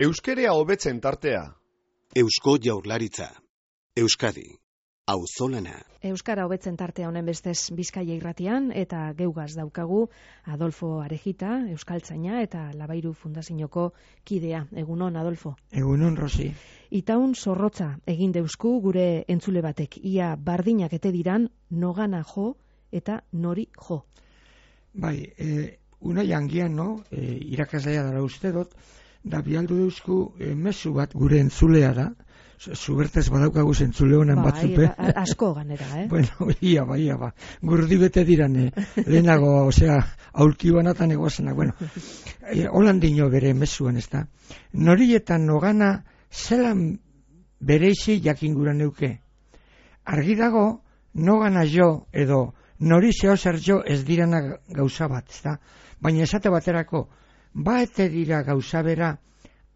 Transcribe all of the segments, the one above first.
Euskerea hobetzen tartea. Eusko Jaurlaritza. Euskadi. Auzolana. Euskara hobetzen tartea honen bestez Bizkaia irratian eta geugaz daukagu Adolfo Arejita, euskaltzaina eta Labairu Fundazioko kidea. Egunon, Adolfo. Egunon, Rosi. Itaun zorrotza egin deusku gure entzule batek. Ia bardinak ete diran nogana jo eta nori jo. Bai, una jangian, no? Irakaslea dara uste dut, da bialdu deusku mezu bat gure entzulea da. Zubertez badaukagu entzule honen batzupe. Asko ganera, Bueno, ia ba. Gurdi bete diran, lehenago, aulki banatan egoazenak. Bueno, holan dino bere mezuan, ez da. Norietan nogana zelan bereizi jakin gura neuke. Argi dago, nogana jo edo nori zeo zer jo ez dirana gauza bat, ez da. Baina esate baterako, baete dira gauza bera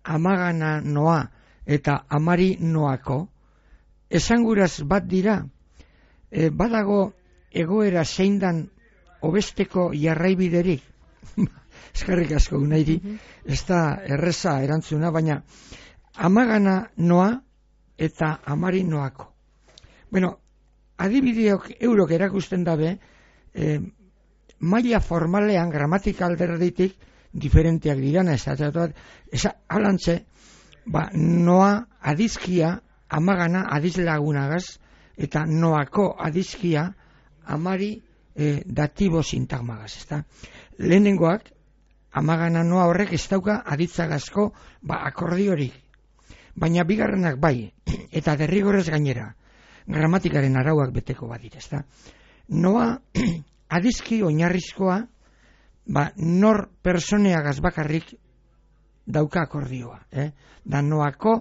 amagana noa eta amari noako, esanguraz bat dira, badago egoera zeindan obesteko jarraibiderik. Eskerrik asko unairi, ez da erreza erantzuna, baina amagana noa eta amari noako. Bueno, adibideok eurok erakusten dabe, maila formalean, gramatika alderditik, diferenteak dirana, ez alantze, noa adizkia amagana adizlagunagaz eta noako adizkia amari datibo sintagmagaz, ezta? Lehenengoak amagana noa horrek ez dauka aditzagazko akordiorik, baina bigarrenak bai, eta derrigorrez gainera gramatikaren arauak beteko badira, ezta? Noa adizki oinarrizkoa nor personeagaz bakarrik dauka akordioa, da noako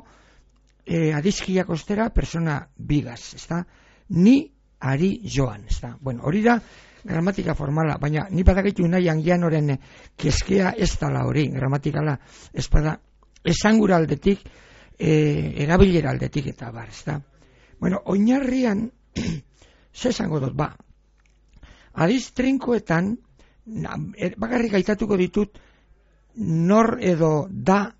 adizkiak ostera persona bigaz, ezta? Ni ari joan, ezta? Bueno, hori da gramatika formala, baina ni badakitu nahi angian oren keskea ez dala hori, gramatikala ez bada esangura aldetik, erabilera aldetik eta bar, ezta? Bueno, oinarrian ze esango dut, adiz trinkoetan bakarrik aitatuko ditut nor edo da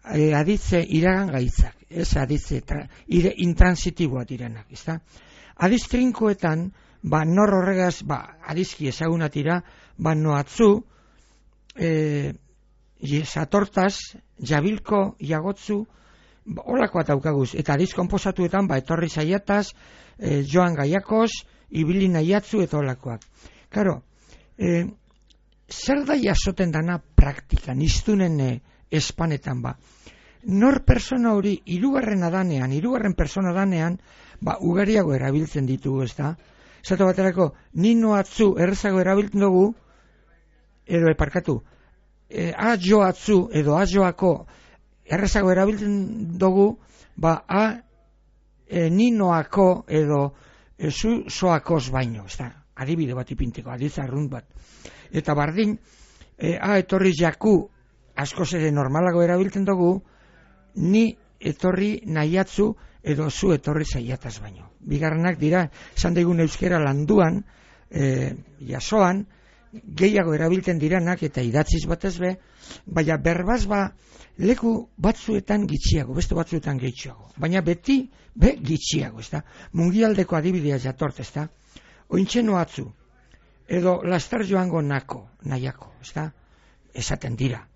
aditze iragan gaitzak, ez aditze intransitiboa direnak, ezta? Adiz trinkoetan, nor horregaz, adizki ezagunatira, noatzu, satortaz, jabilko, jagotzu, holakoa daukaguz, eta adiz konposatuetan, etorri zaiataz, joan gaiakoz, ibili nahiatzu, eta holakoak. Karo, zer da jasoten dana praktikan, iztunen espanetan nor persona hori hirugarren persona danean, ugariago erabiltzen ditugu, ez da? Zato baterako, ni noatzu errezago erabiltzen dugu, edo eparkatu, a joatzu edo a joako errezago erabiltzen dugu, ni noako edo zu soakoz baino, ez da? Adibide bat ipinteko, adizarrunt bat. Eta bardin, etorri jaku askoz ere normalago erabiltzen dugu, ni etorri nahiatzu edo zu etorri zaiataz baino. Bigarrenak dira, esan daigun euskera landuan, jasoan, gehiago erabiltzen diranak eta idatziz batez baina berbaz leku batzuetan gitxiago, beste batzuetan gehitxoago. Baina beti gitxiago, ez da? Mungialdeko adibidea jatort, ez da? Ointxeno atzu, edo lastar joango nahiako, ez da? Esaten dira,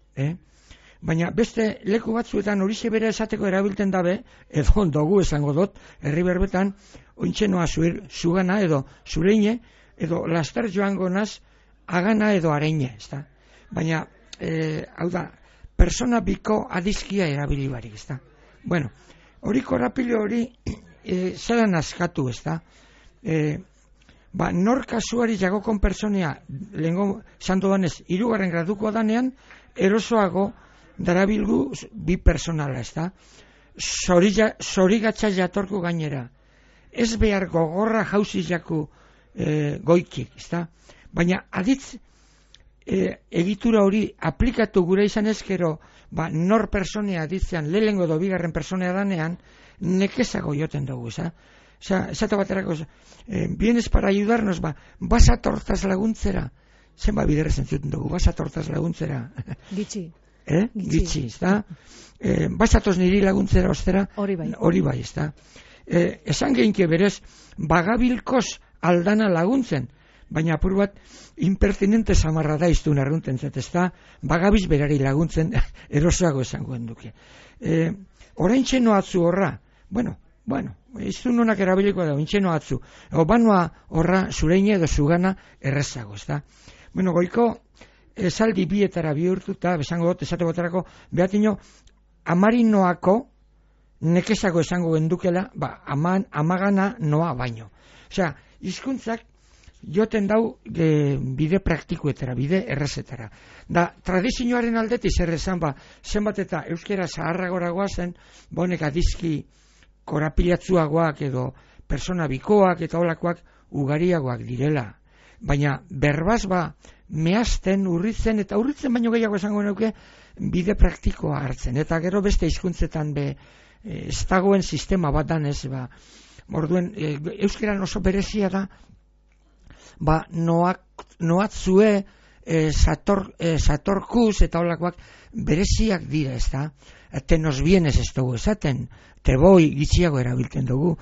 Baina beste leku batzuetan horixe bera esateko erabiltzen dabe, edo ondogu esango dut, herri berbetan, ointxenoa zugana edo zureine, edo lastar joango naz, agana edo areine, ez da? Baina, hau da, persona biko adizkia erabili barik, ez da? Bueno, hori korapilo hori zelan askatu, ez da? Nor kasuari jagokon personea, lehenko santo danez, 3. graduko danean, erosoago darabilgu bi personala, ez da? Zorigatza jatorku gainera. Ez behar gogorra jauzi jaku goikik, ez da? Baina aditz egitura hori aplikatu gure izan ezkero, nor personea aditzean, lehengo edo bigarren personea danean, nekezago joten dugu, ez da? Esate baterako, vienes para ayudarnos, vas a tortas laguntzera. Zenba biderrez entzuten dugu, vas a tortas laguntzera. Gitxi. Gitzi, ez da? Basatoz niri laguntzera ostera, hori bai, ez da? Esan geinke berez, bagabilkoz aldana laguntzen, baina apur bat impertinente samarra da iztun arrunten zet, ez da? Bagabiz berari laguntzen erosoago esangoen duke. Orain txeno atzu horra, bueno, iztun honak erabiliko da, intxeno atzu, banoa horra zureine edo zugana errezago, ez da? Bueno, goiko esaldi bietara bihurtuta, besango dut, esate botarako, behatino, amarinoako nekezago esango gendukela, amagana noa baino. Osea, hizkuntzak joten dau bide praktikuetara, bide errezetara. Da, tradizioaren aldetik zer esan, zenbat eta euskera zaharragoragoa zen, bonek adizki korapilatzuagoak edo persona bikoak eta olakoak ugariagoak direla. Baina berbaz mehazten, urritzen, eta urritzen baino gehiago esango nuke bide praktikoa hartzen. Eta gero beste hizkuntzetan ez dagoen sistema bat danez, orduen, euskeran oso berezia da, noatzue, satorkuz eta olakoak bereziak dira, ez da? Te nos vienes ez dugu esaten, te boi gitxiago erabiltzen dugu,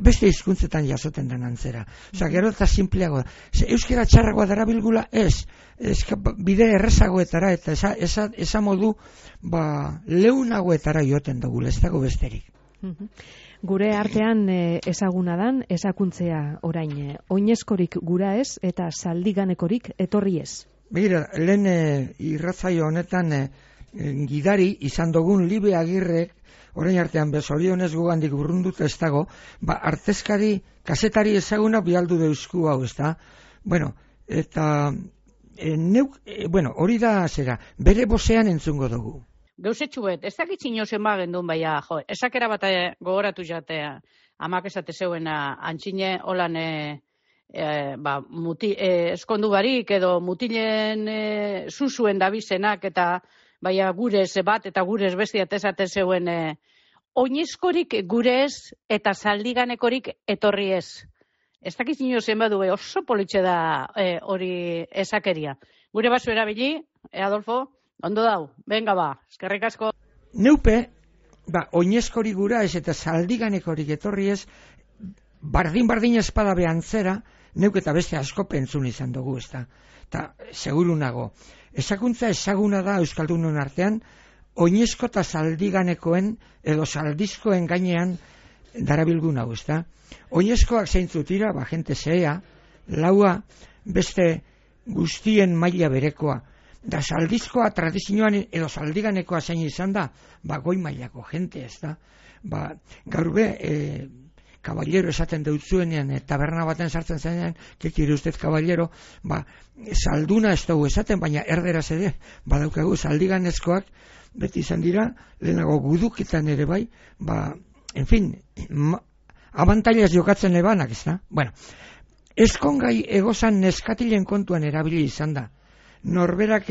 beste hizkuntzetan jasoten den antzera. Osa, gero eta simpleago da. Euskera txarragoa darabilgula bide errezagoetara eta esa modu leunagoetara joten dugu, ez dago besterik. Gure artean ezaguna dan, ezakuntzea orain, oinezkorik gura ez eta zaldiganekorik etorri ez. Begira, lehen irratzaio honetan gidari izan dugun Libe Agirrek, orain artean bezorionez gugandik urrunduta ez dago, artezkari, kasetari ezaguna bialdu deusku hau, ez da? Bueno, eta hori da zera, bere bozean entzungo dugu. Gauzetxuet, ez dakit zinozen gendun baina, esakera bat gogoratu jatea, amak esate zeuena, antxine holan eskondu barik edo mutilen zuzuen dabizenak eta baina gurez bat eta gurez bestiat esate zeuen oinezkorik gurez eta zaldiganekorik etorri ez. Ez dakit zinozen badu oso politxe da hori esakeria. Gure basu erabili, Adolfo? Ondo dau, venga eskerrik asko. Neupe, oinezkorik gura ez eta zaldiganekorik etorri ez, bardin espada behantzera, neuk eta beste asko pentzun izan dugu, ez da. Eta, seguru nago, ezakuntza ezaguna da Euskaldunon artean, oinezko eta zaldiganekoen edo zaldizkoen gainean darabilgun hau, ez da. Oinezkoak zeintzut dira, jente zea, laua, beste guztien maila berekoa. Da zaldizkoa tradizioan edo zaldiganekoa zein izan da, goi mailako jente, ez da. Gaur kaballero esaten deutzuenean, taberna baten sartzen zenean, kekire ustez kaballero, zalduna ez dugu esaten, baina erderaz ere, badaukagu zaldiganezkoak, beti izan dira, lehenago guduketan ere bai, en fin, abantailaz jokatzen ebanak, ez da. Bueno, ezkongai egozan neskatilen kontuan erabili izan da. Norberak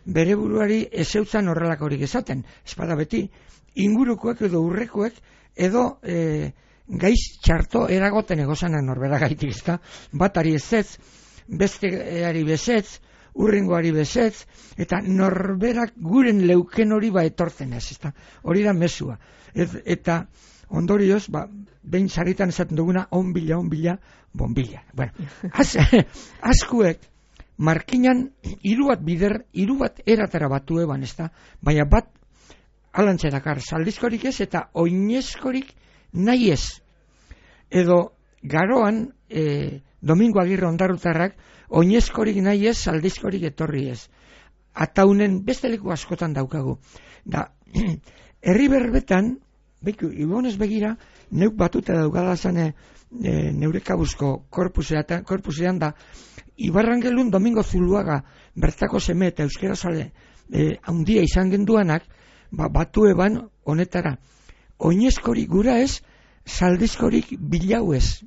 bere buruari ezeutzan horrelakorik esaten, espada beti, ingurukoek edo urrekoek edo gaiz txarto eragoten egozanak norbera gaitik, ezta? Batari ezetz, besteari bezetz, urrengoari bezetz, eta norberak guren leuken hori etortzen ez, ezta? Hori da mesua. Eta ondorioz, behin sarritan esaten duguna, onbila, bonbila. Bueno, askuek, markinan hiru bat eratara batu eban, ezta? Baina bat alantzerakar zaldizkorik ez eta oinezkorik nahi ez. Edo garoan, Domingo Agirre Ondarrutarrak, oinezkorik nahi ez, zaldizkorik etorri ez. Ataunen beste leku askotan daukagu. Da, herri berbetan, ibonez begira, neuk batuta daukada zane neurekabuzko korpusean da, Ibarrangelun Domingo Zuluaga bertako seme eta euskera zale handia izan genduanak, batu eban honetara. Oinezkorik gura ez, zaldizkorik bilau ez,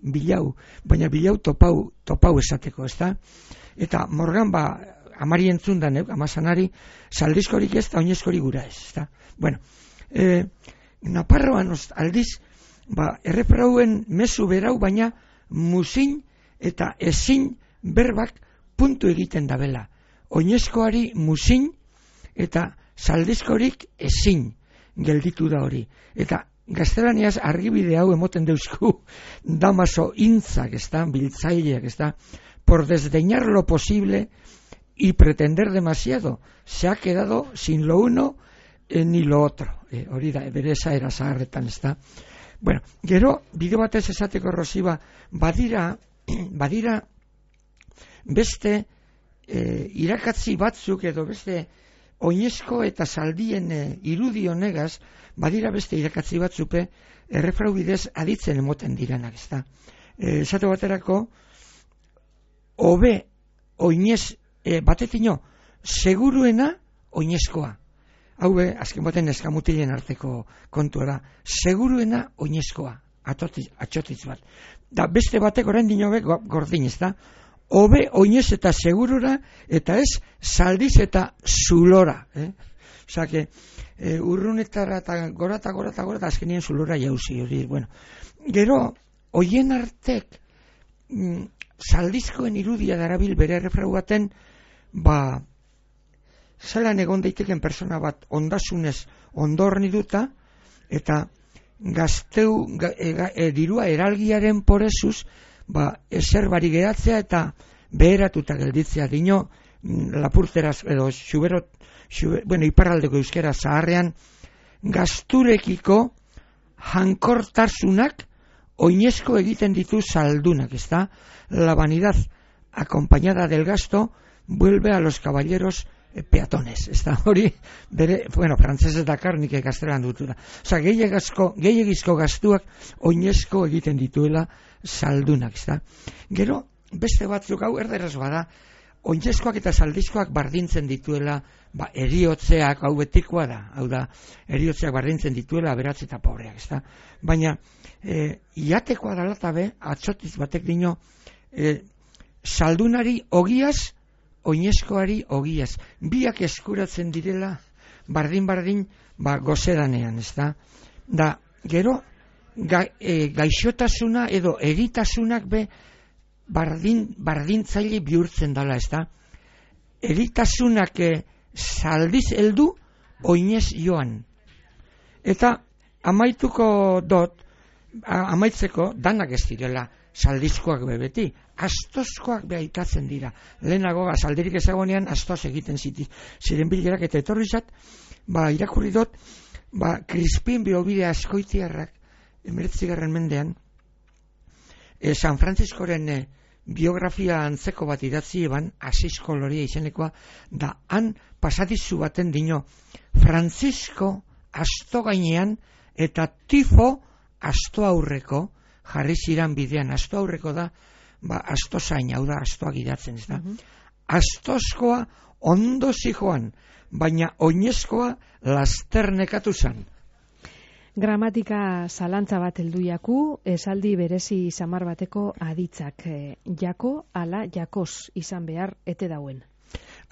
baina bilau topau esateko, ez da? Eta morgan amari entzun da, amazanari, zaldizkorik ez, eta oinezkorik gura ez, ez da? Bueno, Naparroan aldiz, erreprauen mezu berau, baina muzin eta ezin berbak puntu egiten dabela. Oinezkoari muzin eta saldizkorik ezin gelditu da hori. Eta gaztelaniaz argibide hau emoten deusku Damaso Intzak, biltzaileak, por desdeñar lo posible y pretender demasiado, se ha quedado sin lo uno ni lo otro. Hori da, bere esaera zaharretan, Bueno, gero, bide batez esateko Rosiba, badira beste irakatzi batzuk edo beste oinezko eta zaldien irudi honegaz, badira beste irakatzi batzupe errefrau bidez aditzen emoten diranak, esate baterako, hobe oinez batetino, seguruena oinezkoa. Hau azken baten eskamutilen arteko kontua da. Seguruena oinezkoa, atxotitz bat. Da beste batek orain dinobe gordin, hobe oinez eta segurura, eta ez saldiz eta zulora. Osa, urrunetara eta gora, azkenien zulora jauzi. Bueno, gero, hoien artek, saldizkoen irudia darabil bere errefrau baten, zelan egon daiteken persona bat ondasunez ondorni duta, eta gazteu dirua eralgiaren porezuz, ezer bari geratzea eta beheratuta gelditzea dino, lapurteraz edo iparraldeko euskera zaharrean, gazturekiko jankortasunak oinezko egiten ditu saldunak, la vanidad acompañada del gasto vuelve a los caballeros peatones, hori, frantzesez dakar nik gaztelan dutura. Osa, gehiagizko gaztuak oinezko egiten dituela saldunak, Gero, beste batzuk hau erderaz bada, oinezkoak eta saldizkoak bardintzen dituela, eriotzeak, hau betikoa da, hau da, eriotzeak bardintzen dituela aberatz eta pobreak, Baina, iatekoa dalatabe, atxotiz batek dino, saldunari ogiaz, oinezkoari ogiaz. Biak eskuratzen direla, bardin, gozedanean, Da, gero, gaixotasuna edo eritasunak bardintzaile bihurtzen dala, Eritasunak saldiz heldu, oinez joan. Eta, amaitzeko, danak ez direla, saldizkoak beti, astozkoak aitatzen dira. Lehenago, saldirik ezagonean, astoz egiten ziren bilerak, eta etorri zat, irakurri dut, Crispin Biobide Azkoitiarrak, 19. mendean, San Frantziskoren biografia antzeko bat idatzi eban, Asiz Koloria izenekoa, da han pasadizu baten dino, Frantzisko asto gainean, eta tifo asto aurreko, jarri ziran bidean, asto aurreko da, asto zain, hau da, astoak idatzen, Astozkoa ondo zijoan, baina oinezkoa lasternekatu zan. Gramatika zalantza bat helduiaku, esaldi berezi samar bateko aditzak, jako ala jakos izan behar ete dauen.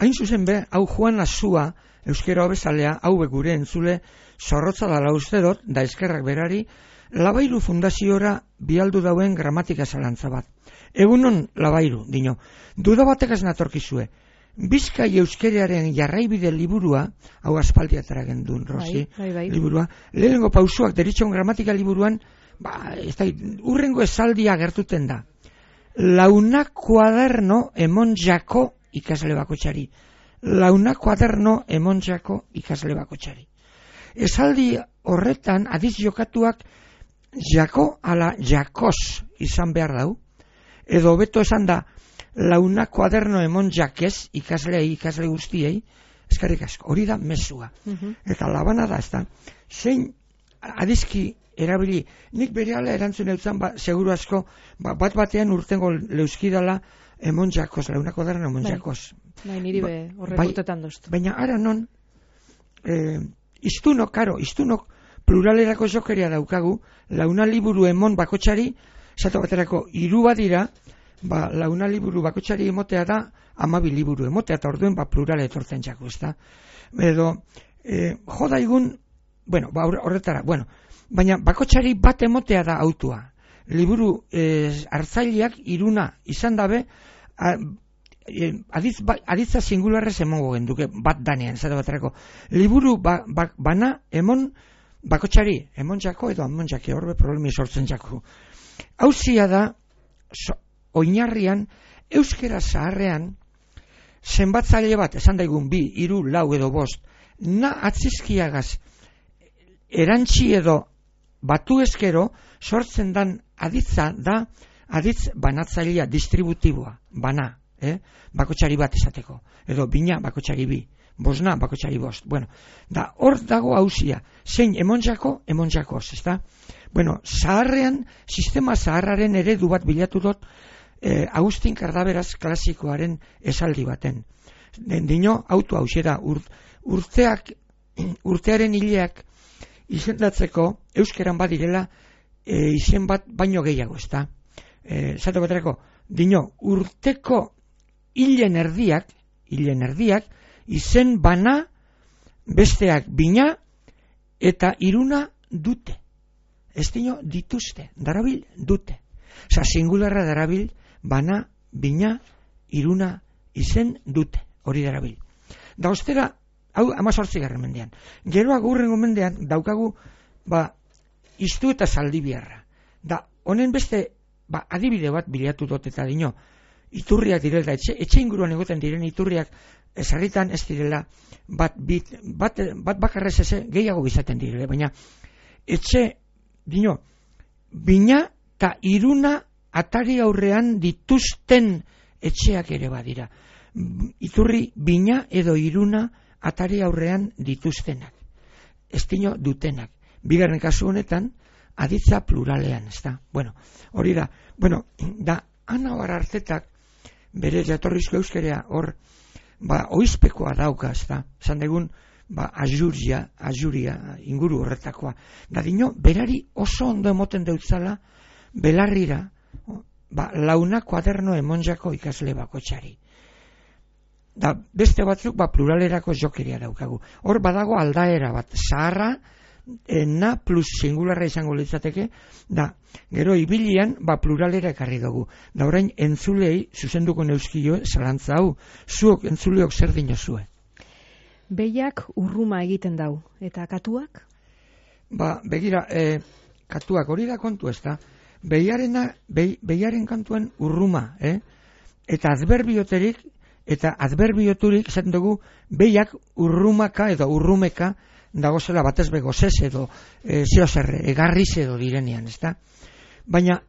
Hain zuzen hau Juan Azua, euskera hobezalea, hau gure entzule, zorrotza dala uste dut, da eskerrak berari, Labairu fundaziora bialdu dauen gramatika zalantza bat. Egunon Labairu, dino, duda batekaz natorkizue, Bizkai euskerearen jarraibide liburua, hau aspaldiatara gendun, Rosi, liburua, lehenengo pausuak deritxon gramatika liburuan, urrengo esaldia gertuten da. Launa kuaderno emon jako ikasle bakotxari. Launa kuaderno emon jako ikasle bakotxari. Esaldi horretan, adiz jokatuak, jako ala jakos izan behar dau, edo beto esan da, launa kuaderno emon jakez, ikasle guztiei, eskarrik asko, hori da mesua. Eta labana da, zein adizki erabili, nik berehala erantzun eutzen, seguru asko, bat batean urtengo leuskidala emon jakos, launa kuaderno emon jakos. Niri horrek urtetan doztu. Baina ara non, iztunok pluralerako jokeria daukagu, launa liburu emon bakotxari, zato baterako hiru badira, launa liburu bakotxari emotea da, 12 liburu emotea, eta orduen plurale etortzen jako, Edo, jodaigun, horretara, baina bakotxari bat emotea da autua. Liburu hartzaileak iruna izan dabe, aditza singularrez emongo genduke, bat danean, zara baterako. Liburu bana emon bakotxari, emontzako edo amontzake, horbe problemi sortzen jako. Hauzia da, oinarrian, euskera zaharrean, zenbatzaile bat, esan daigun 2, 3, 4 edo 5, na atzizkiagaz, erantzi edo batu ezkero, sortzen dan aditza da, aditz banatzailea, distributiboa, bana, bakotxari bat esateko, edo bina bakotxari 2, bosna bakotxari 5, bueno, da hor dago hauzia, zein emontzakos, ezta? Bueno, zaharrean, sistema zaharraren eredu bat bilatu dut, Agustin Kardaberaz klasikoaren esaldi baten. Dino, auto hauxe da, urtearen hileak izendatzeko euskeran badirela izen bat baino gehiago, ezta? Zato baterako, dino, urteko hilen erdiak, izen bana, besteak bina, eta iruna dute. Ez dino, dituzte, darabil dute. Osa, singularra darabil, bana, bina, iruna, izen dute, hori darabil. Da ostera, hau 18. mendean. Gero agurrengo mendean daukagu, iztu eta zaldibiarra. Da, honen beste, adibide bat bilatu dut eta dino, iturriak direla, etxe inguruan egoten diren iturriak, ezarritan ez direla, bat bakarrez gehiago bizaten direla, baina, etxe, dino, bina eta iruna atari aurrean dituzten etxeak ere badira. Iturri bina edo iruna atari aurrean dituztenak. Ez dino dutenak. Bigarren kasu honetan, aditza pluralean, ez da. Bueno, hori da. Bueno, da, Ana Arartetak bere jatorrizko euskerea hor, oizpekoa dauka, ez da. Zan degun, ajuria, inguru horretakoa. Da dino, berari oso ondo emoten deutzala, belarrira, launa kuaderno emonjako ikasle bakotxari. Da, beste batzuk, pluralerako jokeria daukagu. Hor badago aldaera bat, zaharra, na plus singularra izango litzateke, da, gero ibilian, pluralera ekarri dugu. Da, orain, entzulei, zuzenduko neuskio, zalantza hau, zuok entzuleok zer dinozue. Behiak urruma egiten dau, eta katuak? Begira, katuak hori da kontu ez da, behiaren kantuen urruma, eta adverbioterik, eta adverbioturik, esaten dugu, behiak urrumaka edo urrumeka, dagozela batez begozez edo egarriz edo direnean, ez da? Baina,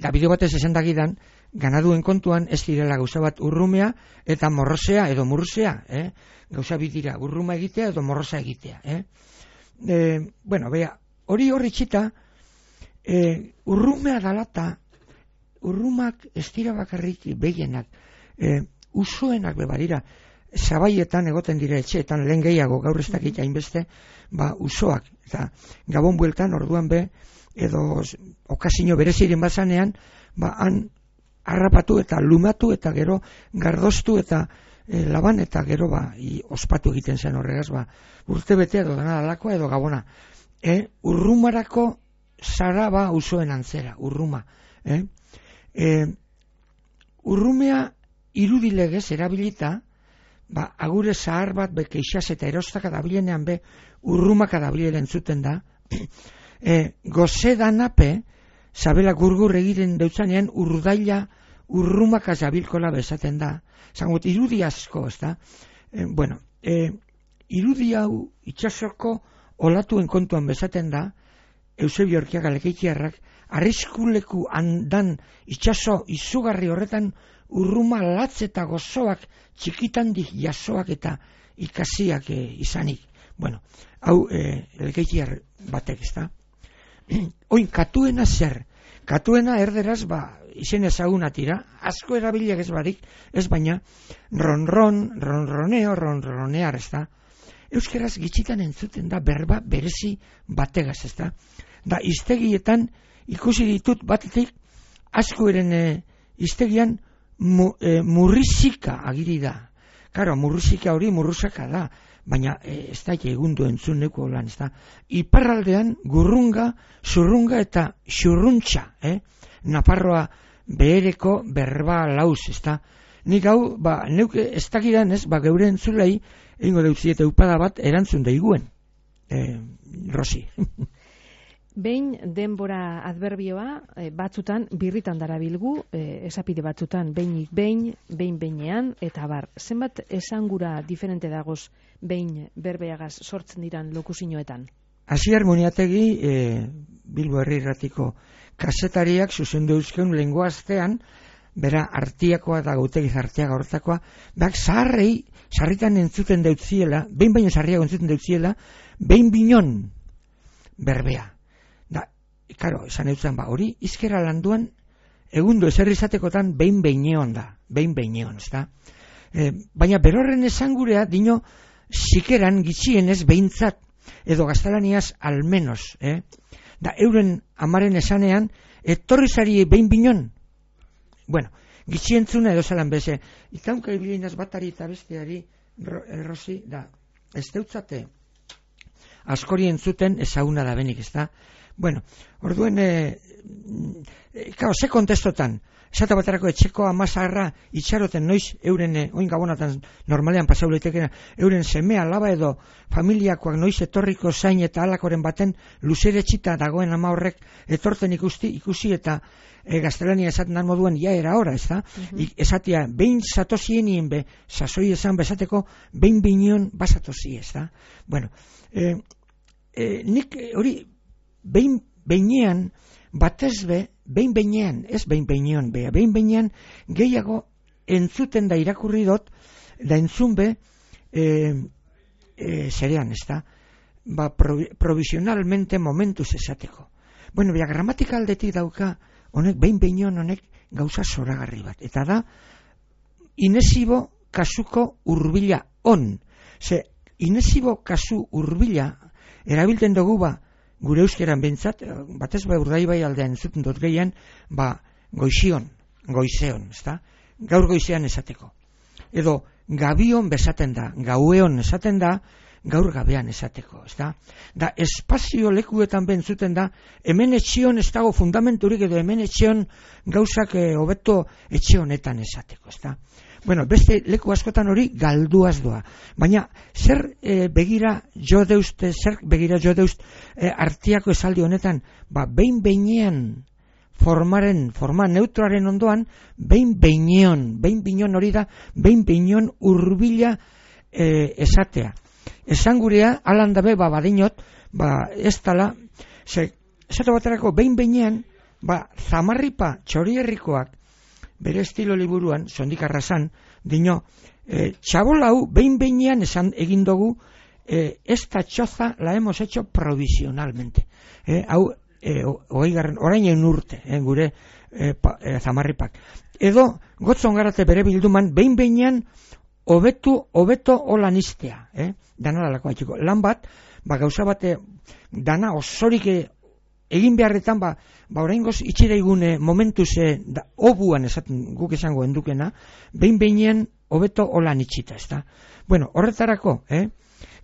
da bideo batez esan dagidan, ganaduen kontuan ez direla gauza bat urrumea eta morrosea edo murrusea, gauza bidira urruma egitea edo morrosa egitea. Bueno, bea, hori txita, urrumea dalata, urrumak ez dira bakarrik behienak, usoenak bebadira, zabaietan egoten dira etxeetan, lehen gehiago gaur ez dakit hainbeste, usoak, eta gabon bueltan orduan be, edo okazio bereziren bazanean, han harrapatu eta lumatu eta gero gardoztu eta laban eta gero ospatu egiten zen horregaz, urte bete edo dana dalakoa edo gabona. Urrumarako zara usoen antzera, urruma. Urrumea irudilegez erabilita, agure zahar bat keixaz eta erostaka dabilenean urrumaka dabilen zuten da, gozedanape, zabela gurgur egiten deutzanean urdaila urrumaka zabilkola bezaten da. Zangot, irudi asko, ez da? Bueno, irudi hau itxasoko olatuen kontuan bezaten da, Eusebio Orkiaga Lekeitiarrak, arriskuleku handan itxaso izugarri horretan urruma latz eta gozoak txikitandik jasoak eta ikasiak izanik. Bueno, hau Lekeitiar batek, ez da? Oin, katuena zer? Katuena erderaz, izen ezaguna tira, asko erabiliak ez barik, ez baina, ronroneo, ronronear, ez da? Euskeraz gitxitan entzuten da berba berezi bategaz, ez da? Da, iztegietan ikusi ditut batetik, asko eren iztegian murrizika agiri da. Karo, murrizika hori murruzaka da, baina ez da egundu entzuneko lan, ez da. Iparraldean gurrunga, zurrunga eta xurruntxa, Nafarroa behereko berba lauz, ez da. nik hau, neuk ez dakidan ez, geure entzulei, egingo deutzi eta upada bat erantzun daiguen. Rosi. Behin denbora adverbioa batzutan birritan darabilgu, esapide batzutan behin-behinean, eta bar, zenbat esangura diferente dagoz behin berbeagaz sortzen diran lokusinoetan? Asier Muniategi, Bilbo Herri Irratiko kazetariak zuzendu euskeun lenguaztean, bera artiakoa da gautegiz artiaga hortakoa, sarritan entzuten deutziela, behin sarriago entzuten deutziela, behin binon berbea. Karo, esan eutzen, hori izkera landuan, egundo eserrizatekotan behin-behineon da, behin-behineon, ez da? Baina berorren esangurea, dino, sikeran gitxienez behintzat, edo gaztelaniaz almenos, da euren amaren esanean, etorrizari behin-binon. Bueno, gitxientzuna edo zelan beze, itaunka ibilinaz batari eta besteari, Rosi, da, ez deutzate, askori entzuten ezaguna da benik, ez da? Bueno, orduen, ze kontestotan, esate baterako etxeko amazarra itxaroten noiz euren, oin gabonatan normalean pasauleitekena, euren semea, laba edo familiakoak noiz etorriko zain eta alakoren baten luzere txita dagoen ama horrek etorten ikusi eta gaztelania esaten dan moduan ja era ora, ez da? Esatia, behin zatosienien be, sasoi esan bezateko, behin binion basatosi, ez da? Bueno, nik hori behin-behinean, batezbe, behin-behinean, ez behin-behinean, behin-behinean gehiago entzuten da irakurri dot, da entzunbe, zerean, ez da, provisionalmente momentuz esateko. Bueno, gramatika aldetik dauka, honek, behin-behinean honek gauza zoragarri bat. Eta da, inesibo kasuko urbila on. Inesibo kasu urbila, erabilten dugu gure euskeran bentsat, batez Urdaibai aldean entzuten dut gehien, goizeon, ezta? Gaur goizean esateko. Edo gabion besaten da, gaueon esaten da, gaur gabean esateko, ezta? Da espazio lekuetan bentzuten da, hemen etxion ez dago fundamenturik edo hemen etxion gauzak hobeto etxe honetan esateko, ezta? Bueno, beste leku askotan hori galduaz doa. Baina, zer begira jo deust artiako esaldi honetan, behin-behinean forma neutroaren ondoan, behin-behineon hori da, behin-behineon urbila esatea. Esangurea, alan dabe, badinot, ez tala, esate baterako behin-behinean, zamarripa txorierrikoak, bere estilo liburuan, sondik arrasan, dino, txabolau behin-behinean esan egin dugu, esta txoza la hemos hecho provisionalmente. Hau, orain egin urte, gure zamarripak. Edo, gotzon garate bere bilduman, behin-behinean hobeto holan iztea. Dana dalako atxiko. Lan bat, gauza bate, dana osorik egin beharretan, oraingoz itxireigune momentuz obuan esaten guk esango endukena, behin-behinean hobeto holan itxita, ez da? Bueno, horretarako,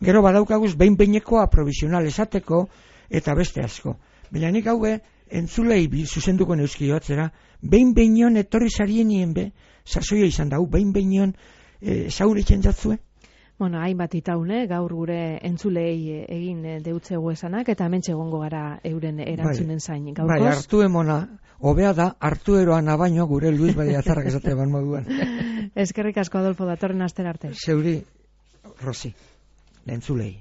gero badaukaguz behin-behinekoa provisional esateko eta beste asko. Baina nik haue, entzulei zuzenduko neuskio atzera, behin-behinean etorri zarienien sasoia izan da, behin-behinean zauritzen jatzue? Bueno, hainbat itaune, gaur gure entzulei egin deutzegu esanak, eta hementxe egongo gara euren erantzunen zain. Gaurkoz? Hartu emona, hobea da, hartu eroana baino gure Luis Badiazarrak esate ban moduan. Eskerrik asko, Adolfo, datorren astera arte. Zeuri, Rosi, entzulei.